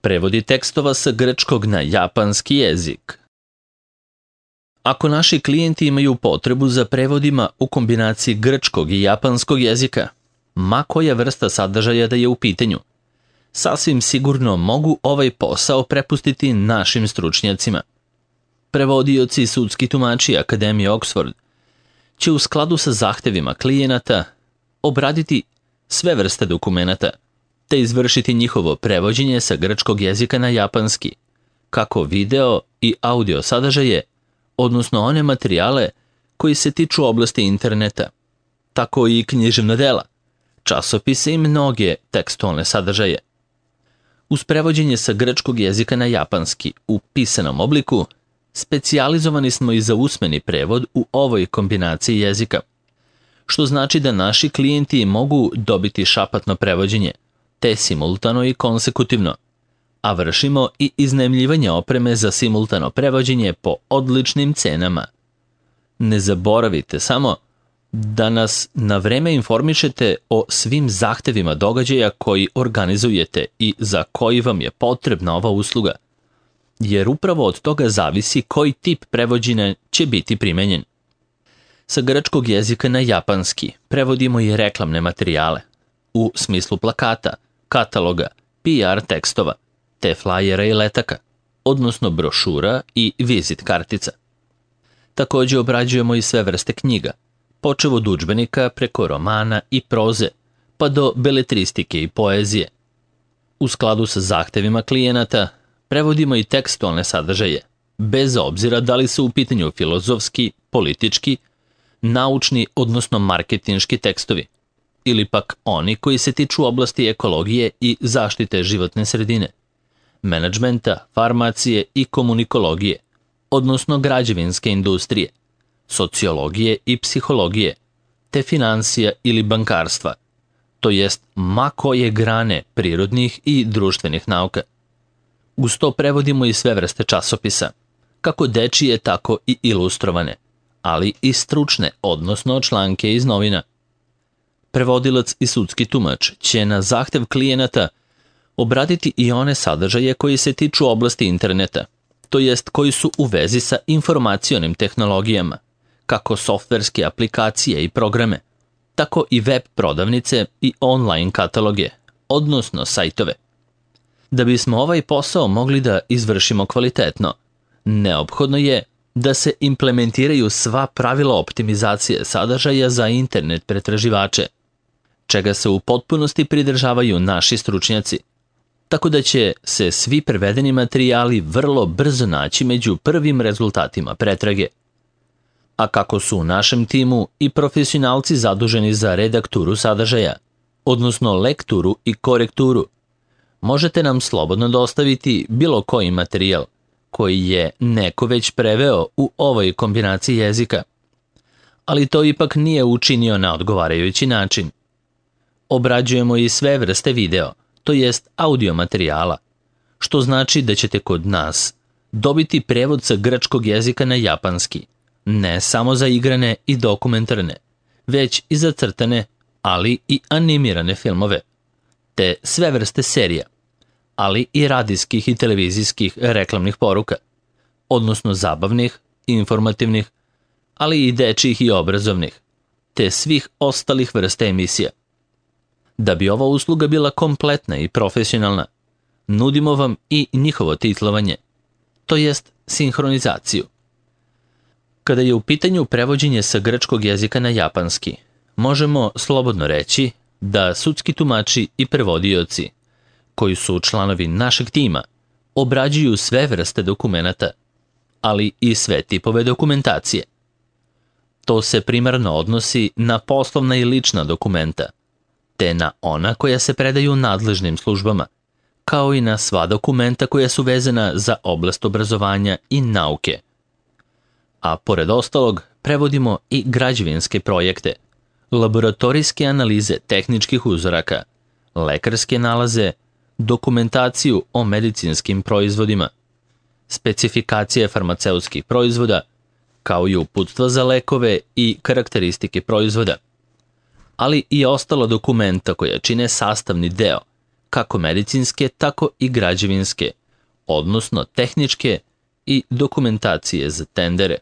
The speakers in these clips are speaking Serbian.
Prevodi tekstova sa grčkog na japanski jezik. Ako naši klijenti imaju potrebu za prevodima u kombinaciji grčkog i japanskog jezika, ma koja vrsta sadržaja da je u pitanju, sasvim sigurno mogu ovaj posao prepustiti našim stručnjacima. Prevodioci i sudski tumači Akademije Oxford će u skladu sa zahtevima klijenata obraditi sve vrste dokumenata te izvršiti njihovo prevođenje sa grčkog jezika na japanski, kako video i audio sadržaje, odnosno one materijale koji se tiču oblasti interneta, tako i književna dela, časopise i mnoge tekstualne sadržaje. Uz prevođenje sa grčkog jezika na japanski u pisanom obliku, specijalizovani smo i za usmeni prevod u ovoj kombinaciji jezika, što znači da naši klijenti mogu dobiti šapatno prevođenje, te simultano i konsekutivno, a vršimo i iznajmljivanje opreme za simultano prevođenje po odličnim cenama. Ne zaboravite samo da nas na vreme informišete o svim zahtevima događaja koji organizujete i za koji vam je potrebna ova usluga, jer upravo od toga zavisi koji tip prevođenja će biti primenjen. Sa grčkog jezika na japanski prevodimo i reklamne materijale, u smislu plakata, kataloga, PR tekstova, te flajera i letaka, odnosno brošura i vizit kartica. Također obrađujemo i sve vrste knjiga, počev od udžbenika preko romana i proze, pa do beletristike i poezije. U skladu sa zahtevima klijenata, prevodimo i tekstualne sadržaje, bez obzira da li su u pitanju filozofski, politički, naučni, odnosno marketinški tekstovi, ili pak oni koji se tiču oblasti ekologije i zaštite životne sredine, menadžmenta, farmacije i komunikologije, odnosno građevinske industrije, sociologije i psihologije, te financija ili bankarstva, to jest ma koje grane prirodnih i društvenih nauka. Uz to prevodimo i sve vrste časopisa, kako dečije, tako i ilustrovane, ali i stručne, odnosno članke iz novina. Prevodilac i sudski tumač će na zahtev klijenata obraditi i one sadržaje koji se tiču oblasti interneta, to jest koji su u vezi sa informacionim tehnologijama, kako softverske aplikacije i programe, tako i web prodavnice i online kataloge, odnosno sajtove. Da bismo ovaj posao mogli da izvršimo kvalitetno, neophodno je da se implementiraju sva pravila optimizacije sadržaja za internet pretraživače, čega se u potpunosti pridržavaju naši stručnjaci, tako da će se svi prevedeni materijali vrlo brzo naći među prvim rezultatima pretrage. A kako su u našem timu i profesionalci zaduženi za redakturu sadržaja, odnosno lekturu i korekturu, možete nam slobodno dostaviti bilo koji materijal koji je neko već preveo u ovoj kombinaciji jezika, ali to ipak nije učinio na odgovarajući način. Obrađujemo i sve vrste video, to jest audio materijala, što znači da ćete kod nas dobiti prevod sa grčkog jezika na japanski, ne samo za igrane i dokumentarne, već i za crtane, ali i animirane filmove, te sve vrste serija, ali i radijskih i televizijskih reklamnih poruka, odnosno zabavnih, informativnih, ali i dečjih i obrazovnih, te svih ostalih vrsta emisija. Da bi ova usluga bila kompletna i profesionalna, nudimo vam i njihovo titlovanje, to jest sinhronizaciju. Kada je u pitanju prevođenje sa grčkog jezika na japanski, možemo slobodno reći da sudski tumači i prevodioci, koji su članovi našeg tima, obrađuju sve vrste dokumenata, ali i sve tipove dokumentacije. To se primarno odnosi na poslovna i lična dokumenta, te na ona koja se predaju nadležnim službama, kao i na sva dokumenta koja su vezana za oblast obrazovanja i nauke. A pored ostalog, prevodimo i građevinske projekte, laboratorijske analize tehničkih uzoraka, lekarske nalaze, dokumentaciju o medicinskim proizvodima, specifikacije farmaceutskih proizvoda, kao i uputstva za lekove i karakteristike proizvoda, ali i ostala dokumenta koja čine sastavni deo, kako medicinske, tako i građevinske, odnosno tehničke i dokumentacije za tendere.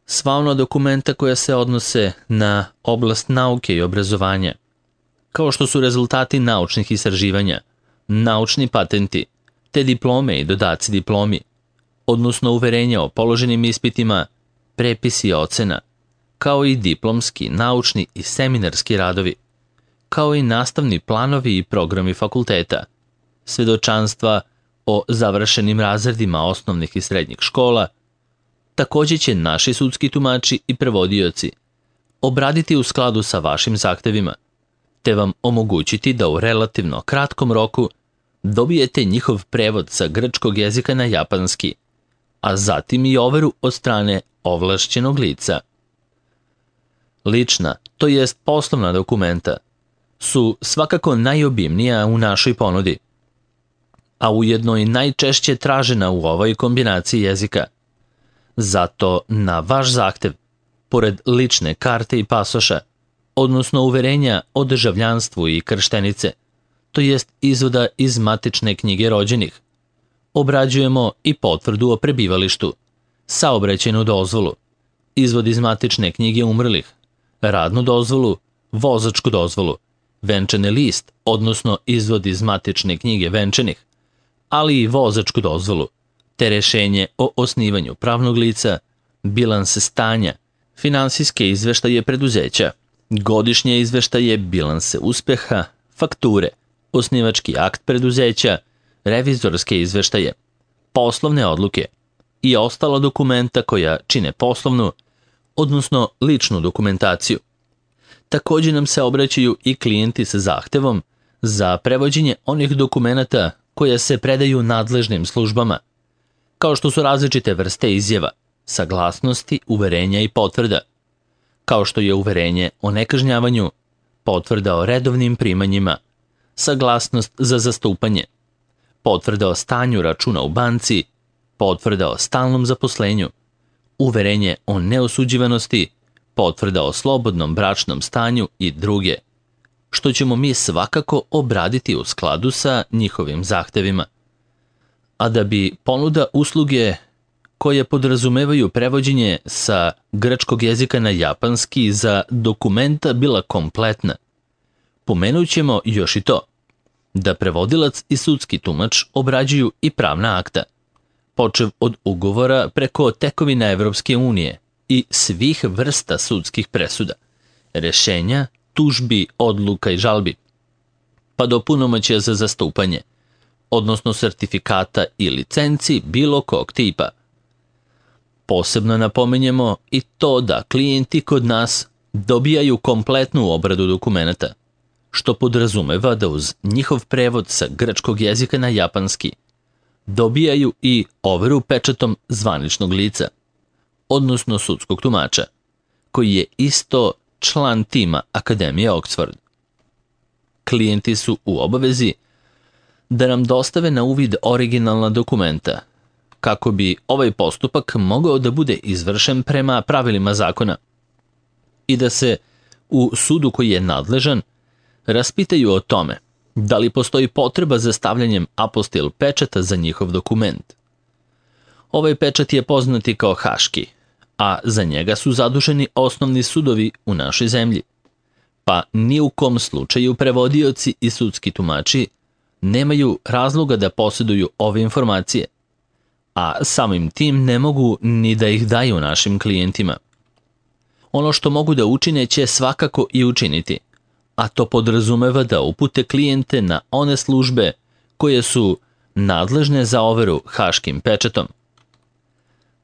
Sva ona dokumenta koja se odnose na oblast nauke i obrazovanja, kao što su rezultati naučnih istraživanja, naučni patenti, te diplome i dodaci diplomi, odnosno uverenja o položenim ispitima, prepisi ocena, kao i diplomski, naučni i seminarski radovi, kao i nastavni planovi i programi fakulteta, svedočanstva o završenim razredima osnovnih i srednjih škola. Takođe će naši sudski tumači i prevodioci obraditi u skladu sa vašim zahtevima, te vam omogućiti da u relativno kratkom roku dobijete njihov prevod sa grčkog jezika na japanski, a zatim i overu od strane ovlašćenog lica. Lična, to jest poslovna dokumenta, su svakako najobimnija u našoj ponudi, a ujedno i najčešće tražena u ovoj kombinaciji jezika. Zato na vaš zahtev, pored lične karte i pasoša, odnosno uverenja o državljanstvu i krštenice, to jest izvoda iz matične knjige rođenih, obrađujemo i potvrdu o prebivalištu, saobraćajnu dozvolu, izvod iz matične knjige umrlih, radnu dozvolu, vozačku dozvolu, venčani list, odnosno izvod iz matične knjige venčanih, ali i vozačku dozvolu, te rešenje o osnivanju pravnog lica, bilanse stanja, finansijske izveštaje preduzeća, godišnje izveštaje, bilanse uspeha, fakture, osnivački akt preduzeća, revizorske izveštaje, poslovne odluke i ostala dokumenta koja čine poslovnu, odnosno ličnu dokumentaciju. Takođe nam se obraćaju i klijenti sa zahtevom za prevođenje onih dokumenata koja se predaju nadležnim službama, kao što su različite vrste izjava, saglasnosti, uverenja i potvrda, kao što je uverenje o nekažnjavanju, potvrda o redovnim primanjima, saglasnost za zastupanje, potvrda o stanju računa u banci, potvrda o stalnom zaposlenju, uverenje o neosuđivanosti, potvrda o slobodnom bračnom stanju i druge, što ćemo mi svakako obraditi u skladu sa njihovim zahtevima. A da bi ponuda usluge koje podrazumevaju prevođenje sa grčkog jezika na japanski za dokumenta bila kompletna, pomenut ćemo još i to, da prevodilac i sudski tumač obrađuju i pravna akta, počev od ugovora preko tekovina Evropske unije i svih vrsta sudskih presuda, rešenja, tužbi, odluka i žalbi, pa do punomoćja za zastupanje, odnosno sertifikata i licenci bilo kog tipa. Posebno napominjemo i to da klijenti kod nas dobijaju kompletnu obradu dokumenta, što podrazumeva da uz njihov prevod sa grčkog jezika na japanski dobijaju i overu pečatom zvaničnog lica, odnosno sudskog tumača, koji je isto član tima Akademije Oxford. Klijenti su u obavezi da nam dostave na uvid originalna dokumenta, kako bi ovaj postupak mogao da bude izvršen prema pravilima zakona i da se u sudu koji je nadležan raspitaju o tome da li postoji potreba za stavljanjem apostil pečata za njihov dokument. Ovaj pečat je poznati kao haški, a za njega su zaduženi osnovni sudovi u našoj zemlji, pa ni u kom slučaju prevodioci i sudski tumači nemaju razloga da posjeduju ove informacije, a samim tim ne mogu ni da ih daju našim klijentima. Ono što mogu da učine će svakako i učiniti, a to podrazumeva da upute klijente na one službe koje su nadležne za overu haškim pečatom.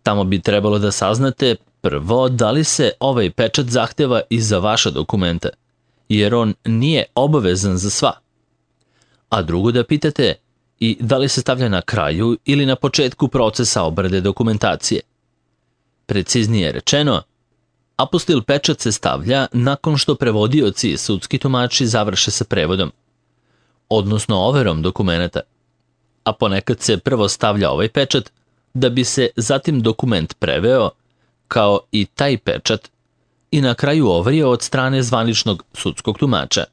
Tamo bi trebalo da saznate prvo da li se ovaj pečat zahteva i za vaša dokumenta, jer on nije obavezan za sva. A drugo da pitate i da li se stavlja na kraju ili na početku procesa obrade dokumentacije. Preciznije rečeno, apostil pečat se stavlja nakon što prevodioci i sudski tumači završe sa prevodom, odnosno overom dokumenta, a ponekad se prvo stavlja ovaj pečat da bi se zatim dokument preveo, kao i taj pečat, i na kraju overio od strane zvaničnog sudskog tumača.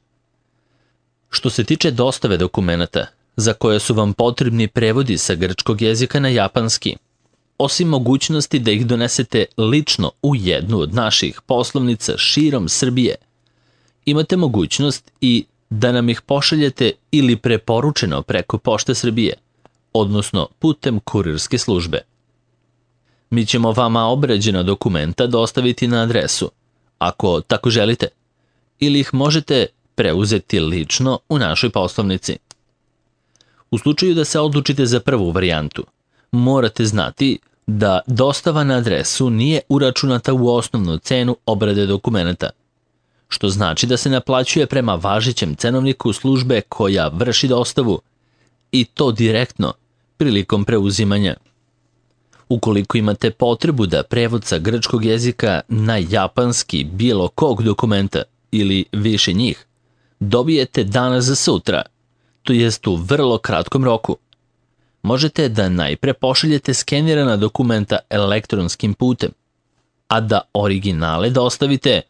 Što se tiče dostave dokumenata, za koje su vam potrebni prevodi sa grčkog jezika na japanski, osim mogućnosti da ih donesete lično u jednu od naših poslovnica širom Srbije, imate mogućnost i da nam ih pošaljete ili preporučeno preko Pošte Srbije, odnosno putem kurirske službe. Mi ćemo vama obrađena dokumenta dostaviti na adresu, ako tako želite, ili ih možete preuzeti lično u našoj poslovnici. U slučaju da se odlučite za prvu varijantu, morate znati da dostava na adresu nije uračunata u osnovnu cenu obrade dokumenta, što znači da se naplaćuje prema važećem cenovniku službe koja vrši dostavu i to direktno prilikom preuzimanja. Ukoliko imate potrebu da prevod sa grčkog jezika na japanski bilo kog dokumenta ili više njih dobijete danas za sutra, to jest u vrlo kratkom roku, možete da najpre pošaljete skenirana dokumenta elektronskim putem, a da originale dostavite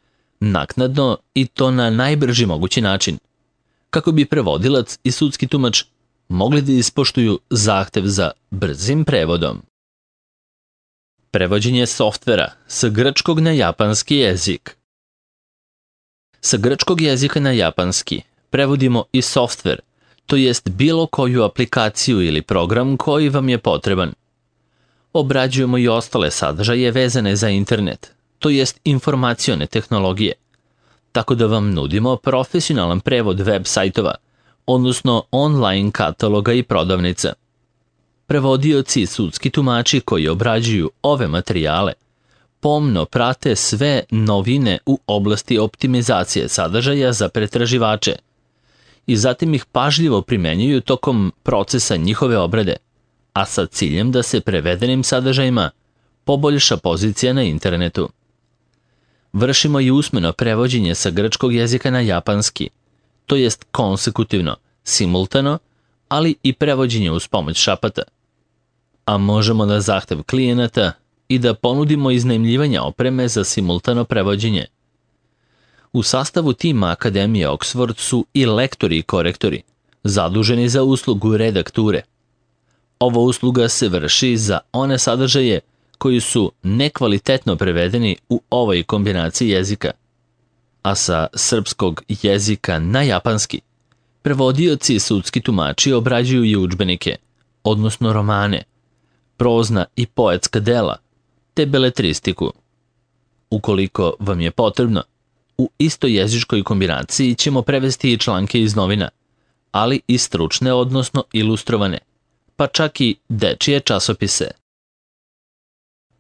naknadno i to na najbrži mogući način, kako bi prevodilac i sudski tumač mogli da ispoštuju zahtev za brzim prevodom. Prevođenje softvera sa grčkog na japanski jezik. Sa grčkog jezika na japanski prevodimo i softver, to jest bilo koju aplikaciju ili program koji vam je potreban. Obrađujemo i ostale sadržaje vezane za internet, to jest informacione tehnologije, tako da vam nudimo profesionalan prevod web sajtova, odnosno online kataloga i prodavnica. Prevodioci i sudski tumači koji obrađuju ove materijale pomno prate sve novine u oblasti optimizacije sadržaja za pretraživače i zatim ih pažljivo primenjuju tokom procesa njihove obrade, a sa ciljem da se prevedenim sadržajima poboljša pozicija na internetu. Vršimo i usmeno prevođenje sa grčkog jezika na japanski, to jest konsekutivno, simultano, ali i prevođenje uz pomoć šapata. A možemo na zahtev klijenata i da ponudimo iznajmljivanje opreme za simultano prevođenje. U sastavu tima Akademije Oxford su i lektori i korektori, zaduženi za uslugu redakture. Ova usluga se vrši za one sadržaje koji su nekvalitetno prevedeni u ovoj kombinaciji jezika, a sa srpskog jezika na japanski prevodioci i sudski tumači obrađuju i udžbenike, odnosno romane, prozna i poetska dela, te beletristiku. Ukoliko vam je potrebno, u istojezičkoj kombinaciji ćemo prevesti i članke iz novina, ali i stručne, odnosno ilustrovane, pa čak i dečije časopise.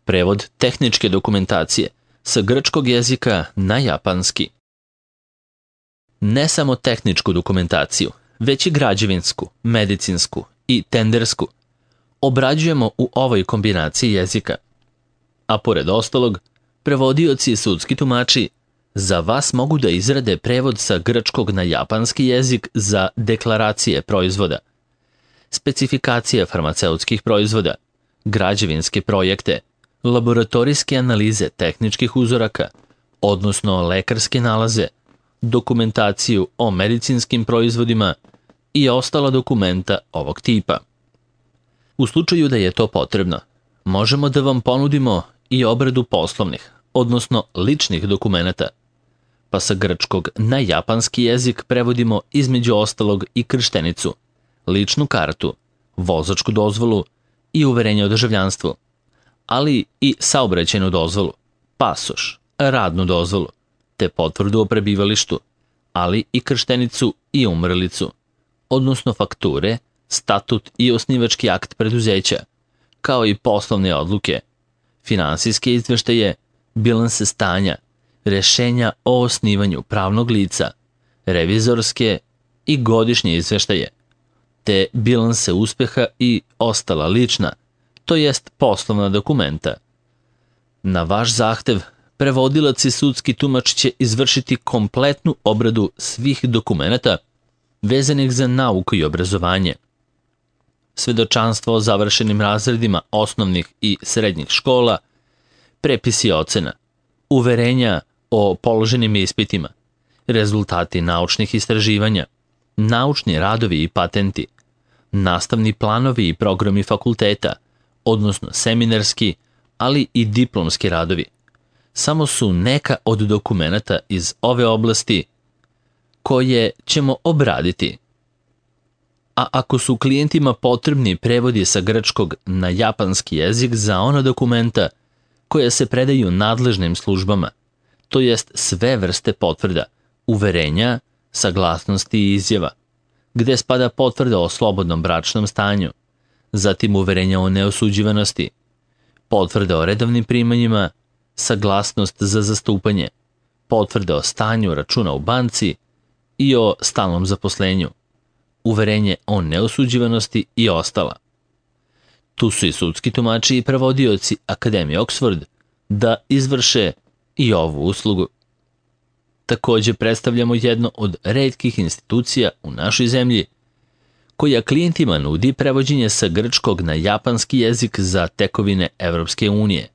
Prevod tehničke dokumentacije sa grčkog jezika na japanski. Ne samo tehničku dokumentaciju, već i građevinsku, medicinsku i tendersku obrađujemo u ovoj kombinaciji jezika. A pored ostalog, prevodioci i sudski tumači za vas mogu da izrade prevod sa grčkog na japanski jezik za deklaracije proizvoda, specifikacije farmaceutskih proizvoda, građevinske projekte, laboratorijske analize tehničkih uzoraka, odnosno lekarske nalaze, dokumentaciju o medicinskim proizvodima i ostala dokumenta ovog tipa. U slučaju da je to potrebno, možemo da vam ponudimo i obradu poslovnih, odnosno ličnih dokumenata, pa sa grčkog na japanski jezik prevodimo između ostalog i krštenicu, ličnu kartu, vozačku dozvolu i uverenje o državljanstvu, ali i saobraćajnu dozvolu, pasoš, radnu dozvolu, te potvrdu o prebivalištu, ali i krštenicu i umrlicu, odnosno fakture, statut i osnivački akt preduzeća, kao i poslovne odluke, finansijske izveštaje, bilanse stanja, rešenja o osnivanju pravnog lica, revizorske i godišnje izveštaje, te bilanse uspeha i ostala lična, to jest poslovna dokumenta. Na vaš zahtev, prevodilac i sudski tumač će izvršiti kompletnu obradu svih dokumenata vezanih za nauku i obrazovanje. Svedočanstvo o završenim razredima osnovnih i srednjih škola, prepisi ocena, uverenja o položenim ispitima, rezultati naučnih istraživanja, naučni radovi i patenti, nastavni planovi i programi fakulteta, odnosno seminarski, ali i diplomski radovi, samo su neka od dokumenata iz ove oblasti koje ćemo obraditi. A ako su klijentima potrebni prevodi sa grčkog na japanski jezik za ona dokumenta koja se predaju nadležnim službama, to jest sve vrste potvrda, uverenja, saglasnosti i izjava, gde spada potvrda o slobodnom bračnom stanju, zatim uverenja o neosuđivanosti, potvrda o redovnim primanjima, saglasnost za zastupanje, potvrda o stanju računa u banci i o stalnom zaposlenju, uverenje o neosuđivanosti i ostala. Tu su i sudski tumači i prevodioci Akademije Oxford da izvrše i ovu uslugu. Takođe predstavljamo jedno od retkih institucija u našoj zemlji koja klijentima nudi prevođenje sa grčkog na japanski jezik za tekovine Evropske unije,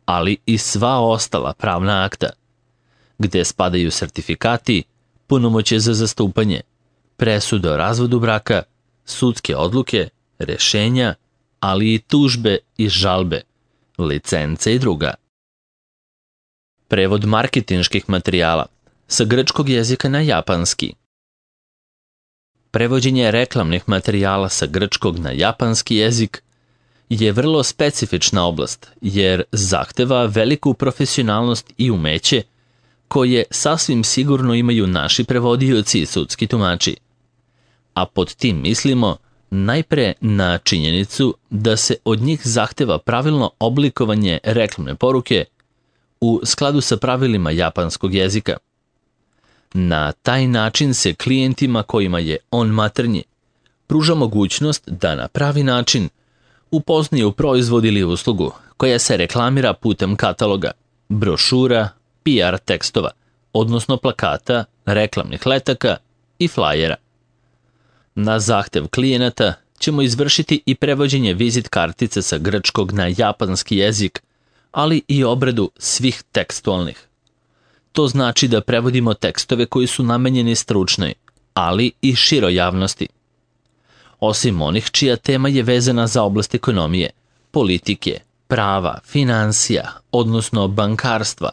ali i sva ostala pravna akta, gde spadaju sertifikati, punomoćje za zastupanje, presude o razvodu braka, sudske odluke, rešenja, ali i tužbe i žalbe, licence i druga. Prevod marketinških materijala sa grčkog jezika na japanski. Prevođenje reklamnih materijala sa grčkog na japanski jezik je vrlo specifična oblast, jer zahteva veliku profesionalnost i umeće koje sasvim sigurno imaju naši prevodioci i sudski tumači. A pod tim mislimo najpre na činjenicu da se od njih zahteva pravilno oblikovanje reklamne poruke u skladu sa pravilima japanskog jezika. Na taj način se klijentima kojima je on maternji pruža mogućnost da na pravi način upoznaju proizvod ili uslugu koja se reklamira putem kataloga, brošura, PR tekstova, odnosno plakata, reklamnih letaka i flajera. Na zahtev klijenata ćemo izvršiti i prevođenje vizit kartice sa grčkog na japanski jezik, ali i obradu svih tekstualnih. To znači da prevodimo tekstove koji su namenjeni stručnoj, ali i široj javnosti. Osim onih čija tema je vezana za oblast ekonomije, politike, prava, finansija, odnosno bankarstva,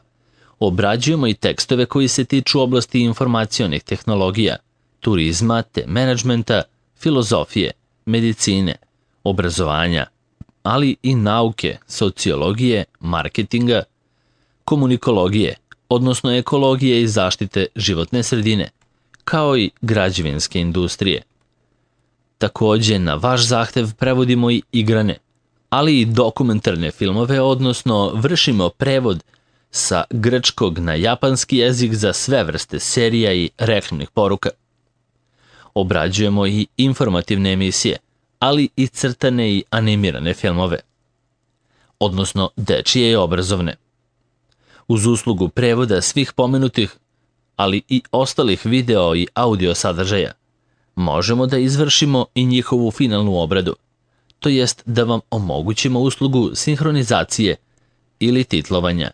obrađujemo i tekstove koji se tiču oblasti informacionih tehnologija, turizma te menadžmenta, filozofije, medicine, obrazovanja, ali i nauke, sociologije, marketinga, komunikologije, odnosno ekologije i zaštite životne sredine, kao i građevinske industrije. Takođe, na vaš zahtev prevodimo i igrane, ali i dokumentarne filmove, odnosno vršimo prevod sa grčkog na japanski jezik za sve vrste serija i reklamnih poruka. Obrađujemo i informativne emisije, ali i crtane i animirane filmove, odnosno dečije i obrazovne. Uz uslugu prevoda svih pomenutih, ali i ostalih video i audio sadržaja, možemo da izvršimo i njihovu finalnu obradu, to jest da vam omogućimo uslugu sinhronizacije ili titlovanja.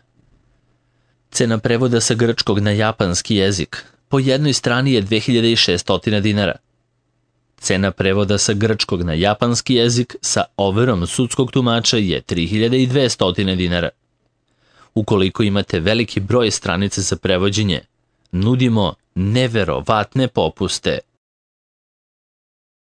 Cena prevoda sa grčkog na japanski jezik po jednoj strani je 2600 dinara. Cena prevoda sa grčkog na japanski jezik sa overom sudskog tumača je 3200 dinara. Ukoliko imate veliki broj stranica za prevođenje, nudimo neverovatne popuste.